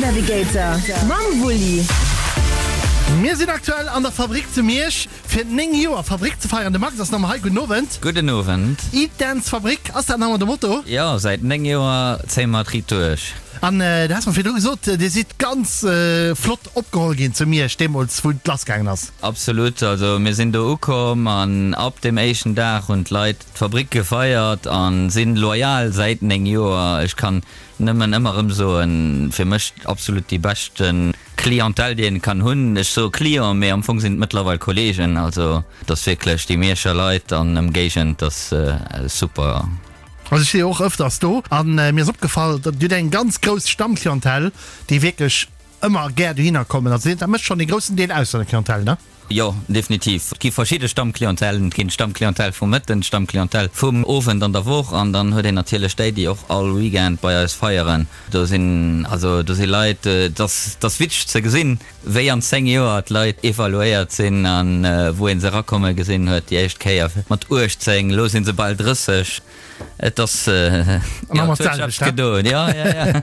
Navigator mam Wulli. Mir sinn aktuell an der Fabrik zu Miersch fir 9 Joer Fabrik ze feieren. De Max ass nach mol hei. Gudden Owend. Gudden Owend. Eat Dance Fabrik, ass dat nach ëmmer de Motto? Jo, säit 9 Joer zéie mer et riit duerch. An du has mer virdru gesot, dir sidd ganz flott opgeholl ginn zu Miersch deemools wou et lass gaangen ass. Absolut, also mir sinn do ukomm an ab dem éischten Dag hunn d'Leit d'Fabrik gefeiert an sinn loyal säit 9 Joer. Ech kann nëmmen ëmmer erëm soen, fir mech absolut déi beschten Clientèle déi een kann hunn. Ech soe Client, mee am Fong sinn et mëttlerweil Kollegen, also et ass wierklech déi Mierscher Leit an Ëmgéigend, ass super. Also ech si jo och ëfters do an mir ass opgefall, datt Dir hutt eng ganz grouss Stammclientèle, déi wierklech ëmmer gär dohinner kommen. Also dat mécht schonn ee groussen Deel aus vun der Clientèle, ne? Jo, definitiv. Et gi verschidde Stammclientèlen. Et ginn d'Stammclientèle vum Mëtten, d'Stammclientèle vum Owend an der Woch an dann huet een natierlech déi, déi och all Weekend bei eis feieren. Do sinn also do si Leit, et ass, et ass witzeg ze gesinn, wéi an 10 Joer d'Leit evaluéiert sinn an wou ee se erakomme gesinn huet déi éischt Kéier mat 18, elo si se bal 30. Et ass jo, et huet sech eppes gedoen, jo, jo, jo.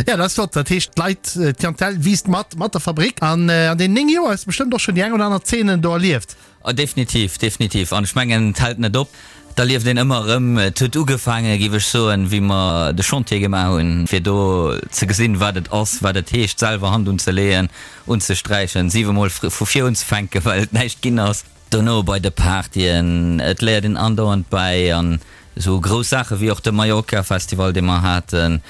Jo, dat ass flott. Dat heescht, d'Leit, d'Clientèle wiisst mat, mat der Fabrik. An an deenen 9 Joer hues de bestëmmt och schonn déi eng oder aner Zeene do erlieft. Oh, definitiv, definitiv. An ech mengen, et hält net op. Et erlieft een ëmmer erëm. Et huet ugefaange, géif ech soen, wéi mer de Chantier gemaach hunn, fir do ze gesinn, wat et ass, wat et heescht, selwer Hand unzeleeën, unzesträichen, siwemol vu vir unzefänken, well et näischt ginn ass. Dono bei de Partyen, et léiert een andauernd bäi an esou grouss Saache wéi och de Mallorca Festival, dee mer haten,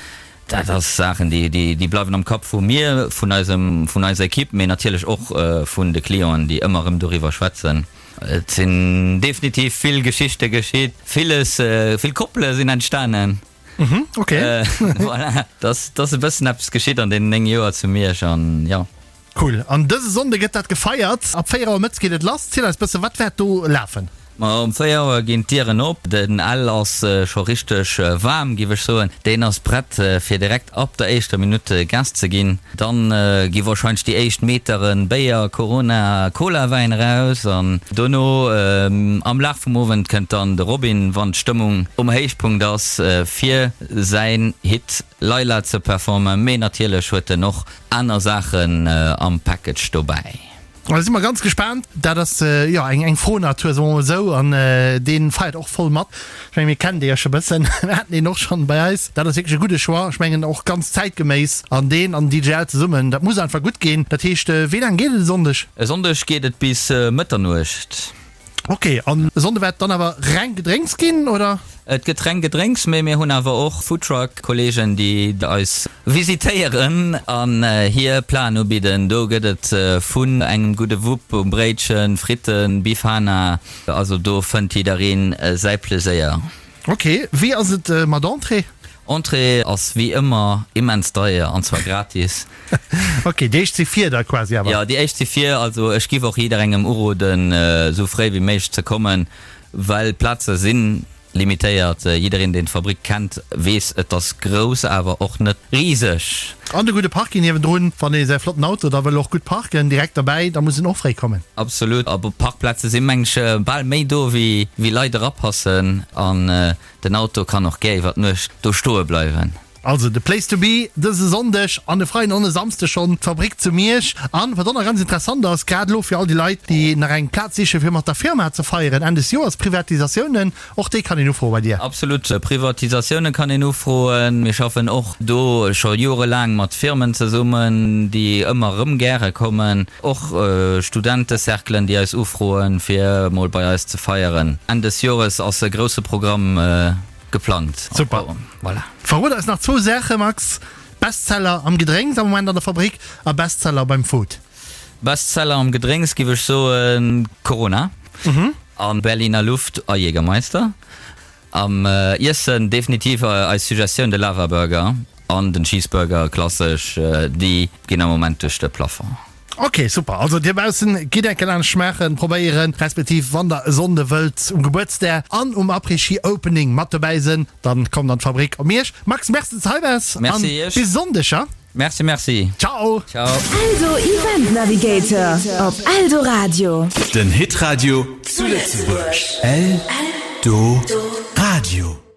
dat ass Saachen, déi, déi bleiwen am Kapp vu mir, vun eisem, vun eiser Equipe, mee natierlech och vun de Clienten, déi ëmmer erëm doriwwer schwätzen. Et sinn definitiv vill Geschichte geschitt, villes, vill Koppele sinn entstanen. Ok. Voilà, et ass, et ass e bëssen eppes geschitt an deenen 9 Joer zu Miersch an jo. Cool, an dëse Sonnde gëtt dat gefeiert. Ab 4 Auer mëttes geet et lass. Ziel eis bëssen, wat wäert do lafen? Ma um 4 Auer ginn d'Dieren op. Den Ell ass scho richteg waarm, giff ech soen. Deen ass prett fir direkt ab der éischter Minutt Gas ze ginn. Dann gi warscheinlech déi éischt Meteren Béier, Corona, Cola, Wäin eraus an dono am Laf vum Owend kënnt dann de Robin, wann d'Stëmmung um Héichpunkt ass, fir säin Hit Layla ze performen. Mee natierlech huet en och Aner Saachen am Package dobäi. Da si mer ganz gespaant. Dat ass jo eng eng froh Natur, soe mer mol esou, an dee feiert och voll mat. Ech mengen, mir kennen dee jo scho bëssen, mir haten deen och schonn bei eis. Dat ass wierklech e gudde Choix, ech mengen och ganz zäitgeméiss. An deen an den DJ Al zesummen, dat muss einfach gutt ginn. Dat heescht, wéi laang geet et e Sonndeg? E Sonndeg geet et bis Mëtternuecht. Ok, an e Sonnde wäert dann awer reng Gedrénks ginn, oder? Et gëtt reng Gedrénks, mee mir hunn awer och Foodtruck-Kolleegen, déi eis visitéieren an hir Platen ubidden. Do gëtt et vun engem gudde Wupp um Bréitchen, Fritten, Bifana, also do fënnt jiddereen säi Pleséier. Ok, wéi ass et mat Entrée? Entrée ass wéi ëmmer immens deier, an zwar gratis. Ok, déi éischt si vir da quasi awer? Jo, déi éischt si vir. Also ech giff och jidderengem uroden, esou fréi wéi méiglech ze kommen, well d'Plaze si limitéiert. Jiddereen, deen d'Fabrik kennt, weess, et ass grouss, awer och net riseg. An de gudde Parking niewendrun, wann ee säi flotten Auto da wëll och gutt parken, direkt derbäi, da muss een och fréi kommen. Absolut. A Parkplaze si meng ech bal méi do, wéi Leit erapassen. An den Auto kann och gär iwwer d'Nuecht do stoe bleiwen. Also de Place to be dëse Sonndeg an e Freiden an e Samsdeg schonn d'Fabrik zu Miersch. An wat och nach ganz interessant ass, grad elo fir all déi Leit, déi nach eng Plaz sichen, fir mat der Firma ze feieren Enn des Joers, Privatisatiounen, och déi kann een ufroe bei dir. Absolut, Privatisatioune kann een ufroen. Mir schaffen och do scho jorelaang mat Firmen zesummen, déi ëmmer erëm gäre kommen. Och Studentecerclen, déi eis ufroen, fir emol bei eis ze feieren. Enn des Jores ass e grousse Programm Geplangt. Super. Voilà. Verrot eis nach zwou Saache, Max, Bestseller am Gedrénks am Moment an der Fabrik a Bestseller beim Food. Bestseller am Gedrénks giff ech soen Corona an Berliner Luft a Jägermeister. Am Iessen definitiv eis Suggestioun de Lava Burger an den Cheeseburger, klassesch, déi ginn am Moment duerch de Plafond. Ok super, also dir baussen gitt enke laanscht schmaachen, probéieren, respektiv wann der e Sonnde wëllt um Gebuertsdag an um Après-Ski Opening mat dobäi sen, dann kommt an d'Fabrik op Miersch. Max, merci dass de hei waars an bis e Sonndeg, ja? Merci merci. Ciao. Ciao. Eldo Event Navigator op Eldoradio. Den Hitradio zu Lëtzebuerg. Eldoradio.